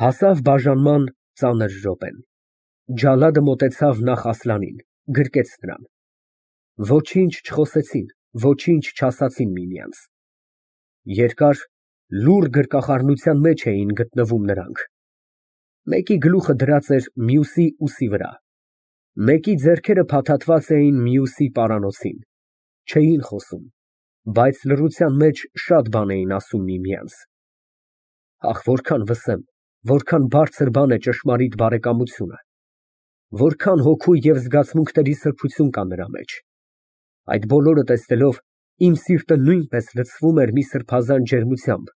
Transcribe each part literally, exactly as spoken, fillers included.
Հասավ բաժանման ծանր րոպեն։ Ջալադը մոտեցավ նախ Ասլանին, գրկեց նրան։ Ոչինչ չխոսեցին, ոչինչ չասացին միմյանց։ Երկար, լուռ գրկախառնության մեջ էին գտնվում նրանք։ Մեկի գլուխը դրած էր մյուսի ուսի վրա, մեկի ձեռքերը փաթաթված էին մյուսի պարանոցին, չէին խոսում, բայց լռության մեջ շատ բան էին ասում միմյանց։ Ահ, որքան վսեմ, որքան բարձր բան է ճշմարիտ բարեկամությունը, որքան հոգու և զգացմունքների սրբություն կա նրա մեջ։ Այդ բոլորը տեսնելով, իմ սիրտը նույնպես լցվում էր մի սրբազան ջերմությամբ,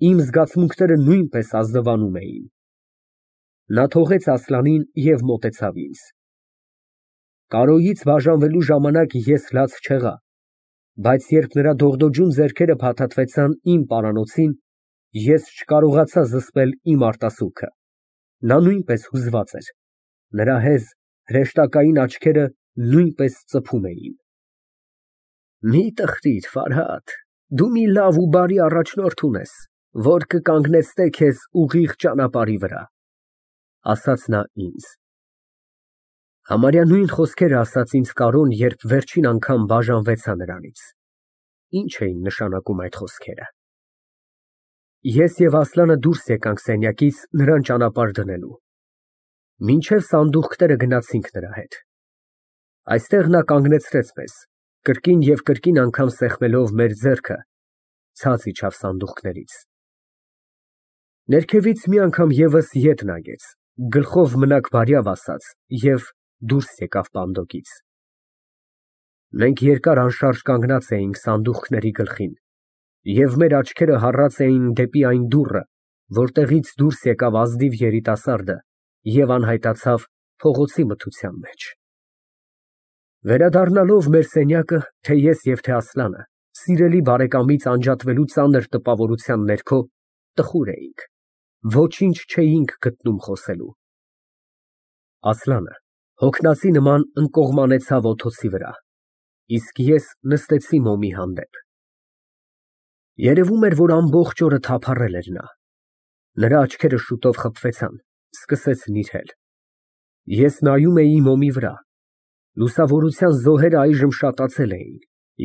իմ զգացմունքները նույնպես ազնվանում էին։ Նա թողեց Ասլանին և մոտեցավ ինձ։ Կարոյից բաժանվելու ժամանակ ես լաց չեղա, բայց երբ նրա դողդոջուն ձեռքերը փաթաթվեցան իմ պարանոցին, ես չկարողացա զսպել իմ արտասուքը։ Նա նույնպես հուզված էր, նրա հեզ, հրեշտակային աչքերը նույնպես ծփում էին։ Մի տխրիր, Ֆարհադ, դու մի լավ ու բարի առաջնորդ ունես, որ կկանգնեցնե քեզ ուղիղ ճանապարհի վրա, ասաց նա ինձ։ Համարյա նույն խոսքերը ասաց ինձ Կարոն, երբ վերջին անգամ բաժանվեցա նրանից։ Ինչ էին նշանակում այդ խոսքերը։ Ես և Ասլանը դուրս եկանք սենյակից նրան ճանապարհ դնելու։ Մինչև սանդուղքները գնացինք նրա հետ։ Այստեղ նա կանգնեցրեց մեզ, կրկին և կրկին անգամ սեղմելով մեր ձեռքը, ցած իջավ սանդուղքներից։ Ներքևից մի անգամ ևս ետ նայեց, գլխով մնաք բարյավ ասաց և դուրս եկավ պանդոկից։ Մենք երկար անշարժ կանգնած էինք սանդուղքների գլխին, և մեր աչքերը հառած էին դեպի այն դուռը, որտեղից դուրս եկավ ազնիվ երիտասարդը և անհայտացավ փողոցի մթության մեջ։ Վերադառնալով մեր սենյակը, թե ես և թե Ասլանը, սիրելի բարեկամից անջատվելու ծանր տպավորության ներքո, տխուր էինք, ոչինչ չէինք գտնում խոսելու։ Ասլանը հոգնածի նման ընկողմանեցավ օթոցի վրա, իսկ ես նստեցի մոմի հանդեպ։ Երևում էր, որ ամբողջ օրը թափառել էր նա։ Նրա աչքերը շուտով խփվեցան, սկսեց նիրհել։ Ես նայում էի մոմի վրա։ Լուսավորության զոհերը այժմ շատացել էին,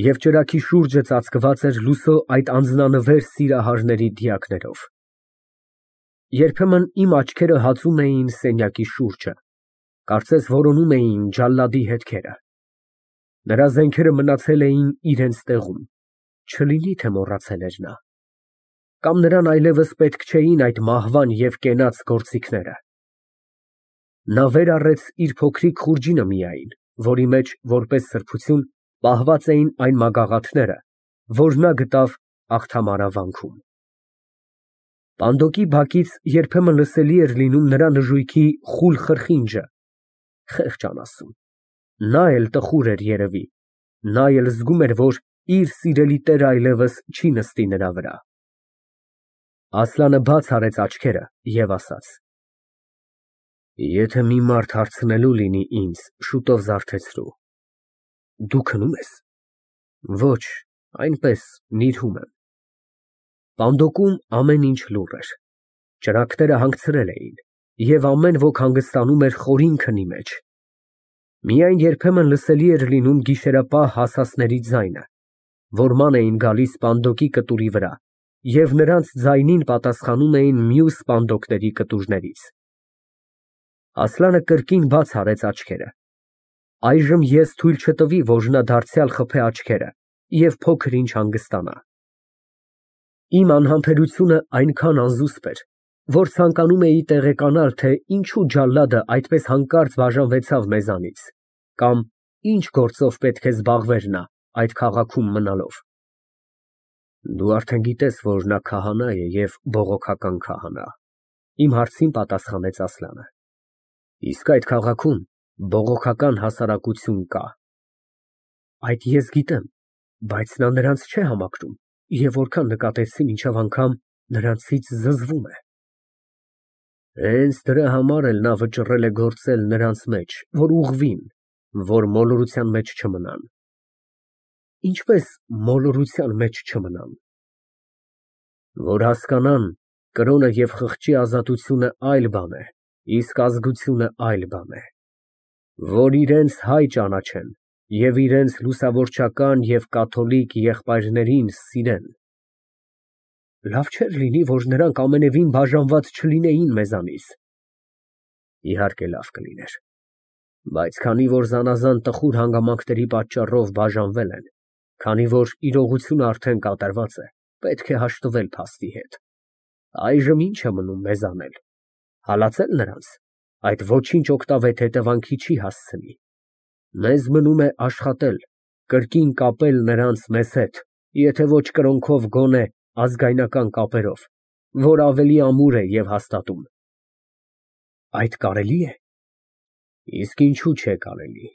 և ճրագի շուրջը ծածկված էր լուսո այդ անձնանվեր սիրահարների դիակներով։ Երբեմն իմ աչքերը հածում էին սենյակի շուրջը, կարծես որոնում էին ջալադի հետքերը։ Նրա զենքերը մնացել էին իրենց տեղում, չլինի թե մոռացել էր նա։ Կամ նրան այլևս պետք չէին այդ մահվան և կենաց գործիքները։ Նա վեր առեց իր փոքրիկ խուրջինը միայն, որի մեջ, որպես սրբություն, պահված էին այն մագաղաթները, որ նա գտավ Աղթամարավանքում։ Պանդոկի բակից երբեմն լսելի էր լինում նրա նժույգի խուլ խրխինջը։ Խեղճ անասուն, նա էլ տխուր էր երևի, նա էլ զգում էր, որ իր սիրելի տերը այլևս չի նստի նրա վրա։ Ասլանը բաց արեց աչքերը և ասաց. Եթե մի մարդ հարցնելու լինի ինձ, շուտով զարթեցրու։ Դու քնում ես։ Ոչ, այնպես նիրհում եմ։ Պանդոկում ամեն ինչ լուռ էր, ճրագները հանգցրել էին, և ամեն ոք հանգստանում էր խորին քնի մեջ։ Միայն երբեմն լսելի էր լինում գիշերապահ հասասների ձայնը, որ ման էին գալիս պանդոկի կտուրի վրա, և նրանց ձայնին պատասխանում էին մյուս պանդոկների կտուրներից։ Ասլանը կրկին բաց արեց աչքերը։ Այժմ ես թույլ չտվի, որ նա դարձյալ խփե աչքերը և փոքր ինչ հանգստանա։ Իմ անհամբերությունը այնքան անզուսպ էր, որ ցանկանում էի տեղեկանալ, թե ինչու ջալադը այդպես հանկարծ բաժանվեցավ մեզանից, կամ ինչ գործով պետք է զբաղվեր նա այդ քաղաքում մնալով։ Դու արդեն գիտես, որ նա քահանա է և բողոքական քահանա, իմ հարցին պատասխանեց Ասլանը։ Իսկ այդ քաղաքում բողոքական հասարակություն կա։ Այդ ես գիտեմ, բայց նա նրանց չէ համակրում, և որքան նկատեցի, մինչև անգամ նրանցից զզվում է։ Հենց դրա համար էլ նա վճռել է գործել նրանց մեջ, որ ուղղվին, որ մոլորության մեջ չմնան։ Ինչպես մոլորության մեջ չմնան։ Որ հասկանան, Կրոնը և խղճի ազատությունը այլ բան է, իսկ ազգությունը այլ բան է։ Որ իրենց հայ ճանաչեն և իրենց լուսավորչական և կաթոլիկ եղբայրներին սիրեն։ Լավ չէր լինի, որ նրանք ամենևին բաժանված չլինեին մեզանից։ Իհարկե լավ կլիներ, բայց քանի որ զանազան տխուր հանգամանքների պատճառով բաժանվել են, քանի որ իրողությունը արդեն կատարված է, պետք է հաշտվել փաստի հետ։ Այժմ ի՞նչ է մնում մեզ անել, հալածե՞լ նրանց, այդ ոչինչ օգտավետ հետևանքի չի հասցնի։ Մեզ մնում է աշխատել, կրկին կապել նրանց մեզ հետ, եթե ոչ կրոնքով, գոնե ազգայնական կապերով, որ ավելի ամուր է և հաստատում։ Այդ կարելի է։ Իսկ ինչու՞ չէ կարելի։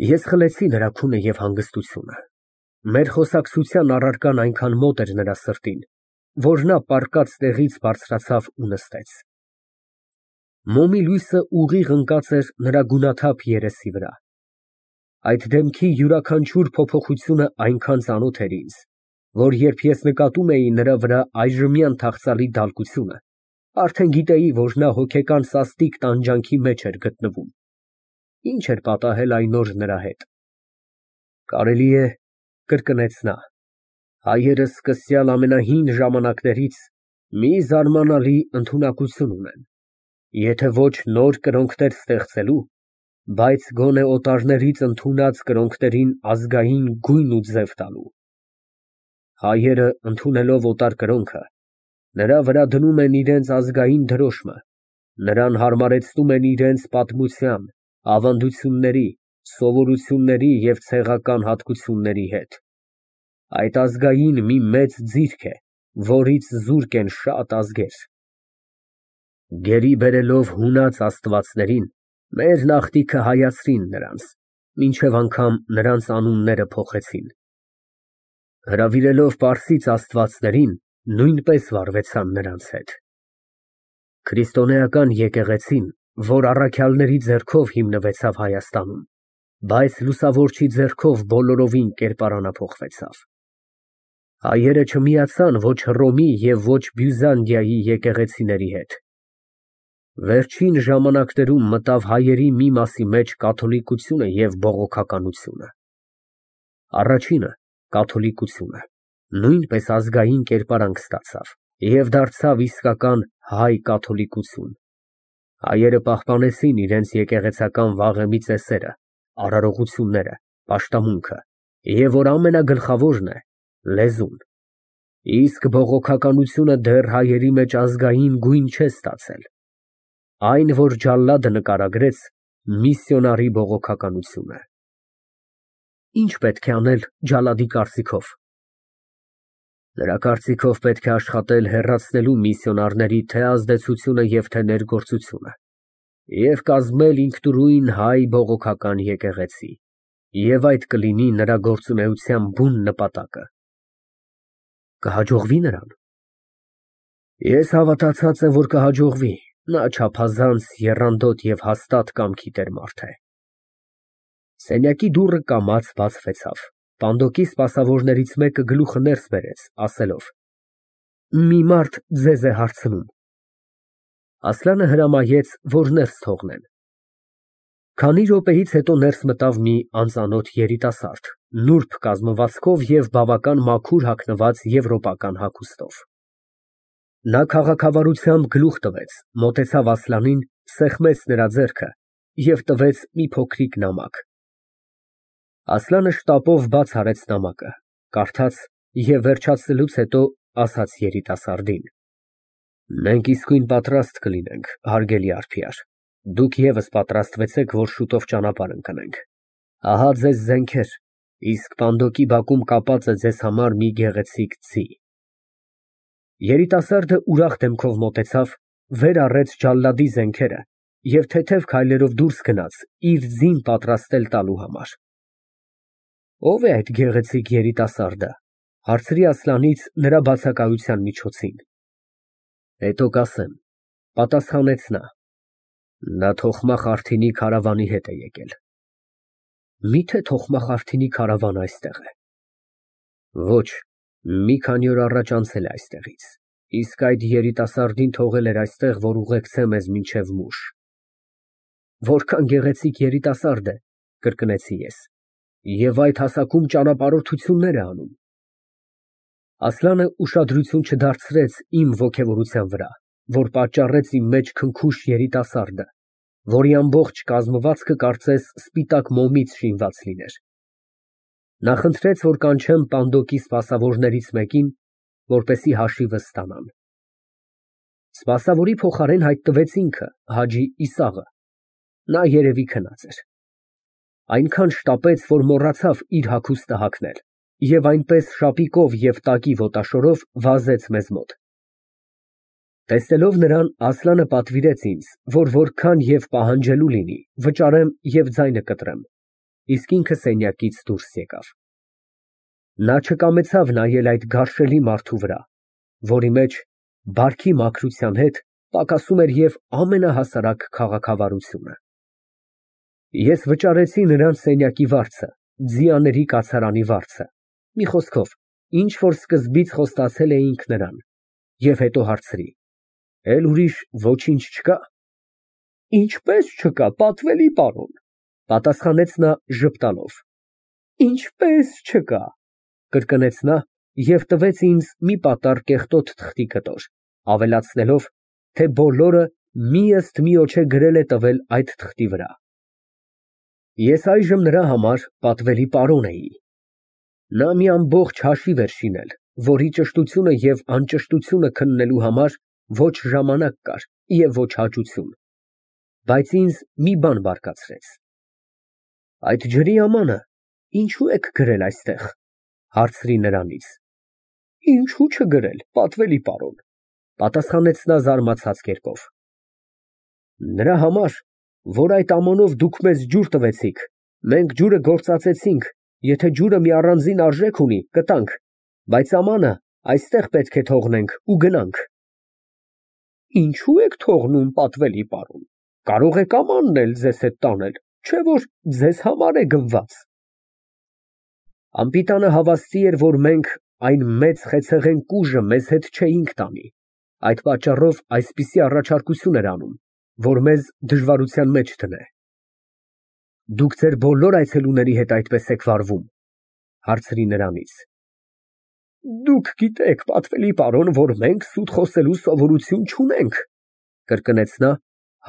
Ես խլեցի նրա քունը և հանգստությունը։ Մեր խոսակցության առարկան այնքան մոտ էր նրա սրտին, որ նա պառկած տեղից բարձրացավ ու նստեց։ Մոմի լույսը ուղիղ ընկած էր նրա գունաթափ երեսի վրա։ Այդ դեմքի յուրաքանչյուր փոփոխությունը այնքան ծանոթ էր ինձ, որ երբ ես նկատում էի նրա վրա այժմյան թախծալի դալկությունը, արդեն գիտեի, որ նա հոգեկան սաստիկ տանջանքի մեջ էր գտնվում։ Ինչ էր պատահել այն օր նրա հետ։ Կարելի է, կրկնեց նա, հայերը սկսյալ ամենահին ժամանակներից մի զարմանալի ընդունակություն ունեն, եթե ոչ նոր կրոնքներ ստեղծելու, բայց գոնե օտարներից ընդունած կրոնքներին ազգային գույն ու ձև տալու։ Հայերը, ընդունելով օտար կրոնքը, նրա վրա դնում են իրենց ազգային դրոշմը, նրան հարմարեցնում են իրենց պատմության, ավանդությունների, սովորությունների և ցեղական հատկությունների հետ։ Այդ ազգային մի մեծ ձիրք է, որից զուրկ են շատ ազգեր։ Գերի բերելով հունած աստվածներին, մեր նախնիքը հայացրին նրանց, մինչև անգամ նրանց անունները փոխեցին։ Հրավիրելով պարսից աստվածներին, նույնպես վարվեցան նրանց հետ։ Քրիստոնեական եկեղեցին, որ առաքյալների ձեռքով հիմնվեցավ Հայաստանում, բայց լուսավորչի ձեռքով բոլորովին կերպարանափոխվեցավ։ Հայերը չմիացան ոչ Հռոմի և ոչ Բյուզանդիայի եկեղեցիների հետ։ Վերջին ժամանակներում մտավ հայերի մի մասի մեջ կաթոլիկությունը և բողոքականությունը։ Առաջինը, կաթոլիկությունը, նույնպես ազգային կերպարանք ստացավ և դարձավ իսկական հայ կաթոլիկություն։ Հայերը պահպանեցին իրենց եկեղեցական վաղեմի ծեսերը, արարողությունները, պաշտամունքը և, որ ամենագլխավորն է, լեզուն, իսկ բողոքականությունը դեռ հայերի մեջ ազգային գույն չէ ստացել։ Այն, որ ջալլադը նկարագրեց, միսիոնարի բողոքականություն է։ Ի՞նչ պետք է անել ջալադի կարծիքով։ Նրա կարծիքով պետք է աշխատել հեռացնելու միսիոնարների թե ազդեցությունը և թե ներգործությունը և կազմել ինքնուրույն հայ բողոքական եկեղեցի, և այդ կլինի նրա գործունեության բուն նպատակը։ Կհաջողվի՞ նրան։ Ես հավատացած եմ, որ կհաջողվի, նա չափազանց եռանդոտ և հաստատ կամքի տեր մարդ է։ Սենյակի դուռը կամաց բացվեցավ, պանդոկի սպասավորներից մեկը գլուխը ներս բերեց, ասելով. «Մի մարդ ձեզ է հարցնում»։ Ասլանը հրամայեց, որ ներս թողնեն։ Քանի րոպեից հետո ներս մտավ մի անծանոթ երիտասարդ, նուրբ կազմվածքով և բավական մաքուր հագնված եվրոպական հագուստով։ Նա քաղաքավարությամբ գլուխ տվեց, մոտեցավ Ասլանին, սեղմեց նրա ձեռքը և տվեց մի փոքրիկ նամակ։ Ասլանը շտապով բաց արեց նամակը, կարդաց և վերջացնելուց հետո ասաց երիտասարդին. «Մենք իսկույն պատրաստ կլինենք, հարգելի արբյար, դուք ևս պատրաստվեցեք, որ շուտով ճանապարհ ընկնենք։ Ահա ձեզ զենքեր, իսկ պանդոկի բակում կապած է ձեզ համար մի գեղեցիկ ձի»։ Երիտասարդը ուրախ դեմքով մոտեցավ, վեր առեց ջալադի զենքերը և թեթև քայլերով դուրս գնաց իր ձին պատրաստել տալու համար։ Ո՞վ է այդ գեղեցիկ երիտասարդը, հարցրի Ասլանից նրա բացակայության միջոցին։ Հետո կասեմ, պատասխանեց նա։ Նա Թոխմախ Արտինի քարավանի հետ է եկել։ Մի՞թե Թոխմախ Արտինի քարավանը այստեղ է։ Ոչ, մի քանի օր առաջ անցել է այստեղից, Իսկ այդ երիտասարդին թողել էր այստեղ, որ ուղեկցե մեզ մինչև Մուշ։ Որքան գեղեցիկ երիտասարդ է, կրկնեցի ես, և այդ հասակում ճանապարհորդություններ է անում։ Ասլանը ուշադրություն չդարձրեց իմ ոգևորության վրա, որ պատճառեց իմ մեջ քնքուշ երիտասարդը, որի ամբողջ կազմվածքը կարծես սպիտակ մոմից շինված լիներ։ Նա խնդրեց, որ կանչեմ պանդոկի սպասավորներից մեկին, որպեսզի հաշիվը ստանան։ Սպասավորի փոխարեն հայտնվեց ինքը, Հաջի Իսաղը։ Նա երևի քնած էր։ Այնքան շտապեց, որ մոռացավ իր հագուստը հագնել, և այնպես շապիկով և տակի ոտաշորով վազեց մեզ մոտ։ Տեսնելով նրան, Ասլանը պատվիրեց ինձ, որ որքան և պահանջելու լինի, վճարեմ և ձայնը կտրեմ, իսկ ինքը սենյակից դուրս եկավ։ Նա չկամեցավ նայել այդ գարշելի մարդու վրա, որի մեջ բարքի մաքրության հետ պակասում էր և ամենահասարակ քաղաքավարությունը։ Ես վճարեցի նրան սենյակի վարձը, ձիաների կացարանի վարձը, մի խոսքով, ինչ որ սկզբից խոստացել էինք նրան, և հետո հարցրի. Էլ ուրիշ ոչինչ չկա։ Ինչպես չկա, պատվելի պարոն, պատասխանեց նա ժպտալով։ Ինչպես չկա, կրկնեց նա և տվեց ինձ մի պատառ կեղտոտ թղթի կտոր, ավելացնելով, թե բոլորը մի ըստ միոջե գրել է տվել այդ թղթի վրա։ Ես այժմ նրա համար պատվելի պարոն էի։ Նա մի ամբողջ հաշիվ էր շինել, որի ճշտությունը և անճշտությունը քննելու համար ոչ ժամանակ կար և ոչ հաճություն, բայց ինձ մի բան բարկացրեց։ Այդ ջրի ամանը ինչո՞ւ եք գրել այստեղ, հարցրի նրանից։ Ինչու չգրել, պատվելի պարոն, պատասխանեց նա զարմացած կերպով։ Նրա համար, որ այդ ամանով դուք մեզ ջուր տվեցիք, մենք ջուրը գործածեցինք, եթե ջուրը մի առանձին արժեք ունի, կտանք, բայց ամանը այստեղ պետք է թողնենք ու գնանք։ Ինչո՞ւ եք թողնում, պատվելի պարոն, կարող եք ամանն էլ ձեզ հետ տանել, չէ՞ որ ձեզ համար է գնված։ Անպիտանը հավաստի էր, որ մենք այն մեծ խեցեղեն կուժը մեզ հետ չէինք տանի, այդ պատճառով այսպիսի առաջարկություն էր անում, որ մեզ դժվարության մեջ դնե։ Դուք ձեր բոլոր այցելուների հետ այդպես եք վարվում, հարցրի նրանից։ Դուք գիտեք, պատվելի պարոն, որ մենք սուտ խոսելու սովորություն չունենք, կրկնեց նա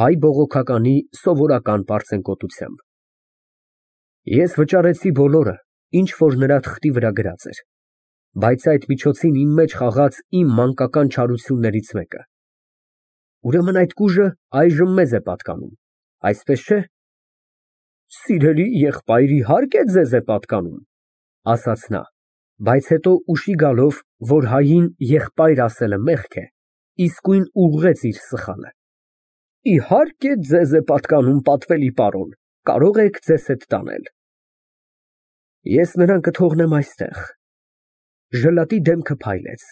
հայ բողոքականի սովորական պարծենկոտությամբ։ Ես վճարեցի բոլորը, ինչ որ նրա թղթի վրա գրած էր, բայց այդ միջոցին իմ մեջ խաղաց իմ մանկական չարություններից մեկը։ Ուրեմն այդ կուժը այժմ մեզ է պատկանում, այսպես չէ։ Սիրելի եղբայր, իհարկե ձեզ է պատկանում, ասաց նա, բայց հետո ուշի գալով, որ հային եղբայր ասելը մեղք է, իսկույն ուղղեց իր սխալը։ Իհարկե ձեզ է պատկանում, պատվելի պարոն, կարող եք ձեզ հետ տանել։ Ես նրան կթողնեմ այստեղ։ Ժլատի դեմքը փայլեց,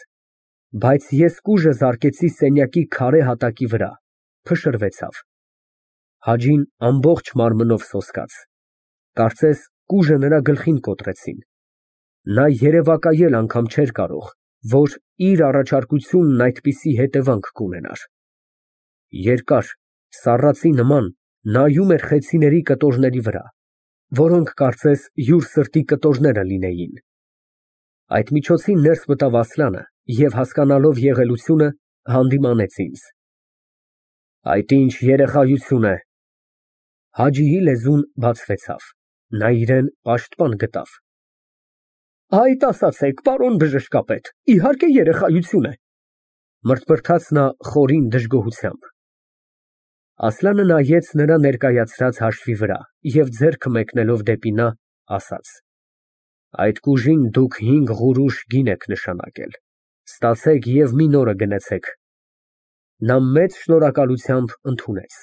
բայց ես կուժը զարկեցի սենյակի քարե հատակի վրա, փշրվեցավ։ Հաջին ամբողջ մարմնով սոսկաց, կարծես կուժը նրա գլխին կոտրեցին։ Նա երևակայել անգամ չէր կարող, որ իր առաջարկությունն այդպիսի հետևանք կունենար։ Երկար, սառածի նման նայում էր խեցիների կտորների վրա, որոնք կարծես յուր սրտի կտորները լինեին։ Այդ միջոցին ներս մտավ Ասլանը և հասկանալով եղելությունը, հանդիմանեց ինձ։ Այդ ինչ երեխայություն է։ Հաջիի լեզուն բացվեցավ, նա իրան պաշտպան գտավ։ Այդ ասացեք, պարոն բժշկապետ, իհարկե երեխայություն է, մրթմրթաց նա խորին դժգոհությամբ։ Ասլանը նայեց նրա ներկայացրած հաշվի վրա և ձեռքը մեկնելով դեպի նա, ասաց. Այդ կուժին դուք հինգ ղուրուշ գին եք նշանակել, ստացեք և մի նորը գնեցեք։ Նա մեծ շնորհակալությամբ ընդունեց։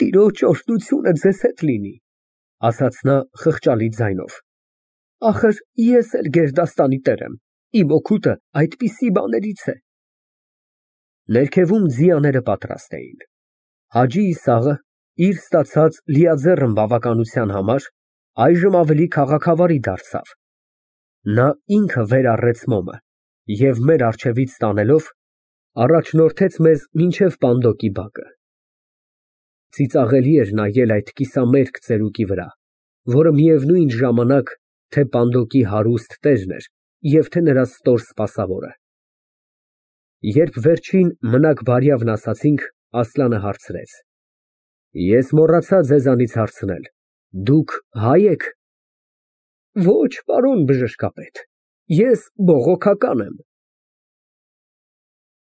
Տիրոջ օրհնությունը ձեզ հետ լինի, ասաց նա խղճալի ձայնով։ Ախր ես էլ գերդաստանի տեր եմ, իմ օգուտը այդպիսի բաներից է։ Ներքևում ձիաները պատրաստ էին։ Հաջի Իսաղը իր ստացած լիաձեռն բավականության համար այժմ ավելի քաղաքավարի դարձավ։ Նա ինքը վեր առեց մոմը, և մեր առջևից տանելով, առաջնորդեց մեզ մինչև պանդոկի բակը։ Ծիծաղելի էր նայել այդ կիսամերկ ծերուկի վրա, որը միևնույն ժամանակ թե պանդոկի հարուստ տերն էր և թե նրա ստոր սպասավորը։ Երբ վերջին մնաք֊բարյավն ասացինք, Ասլանը հարցրեց. Ես մոռացա ձեզանից հարցնել, դուք հա՞յ եք։ Ոչ, պարոն բժշկապետ, ես բողոքական եմ։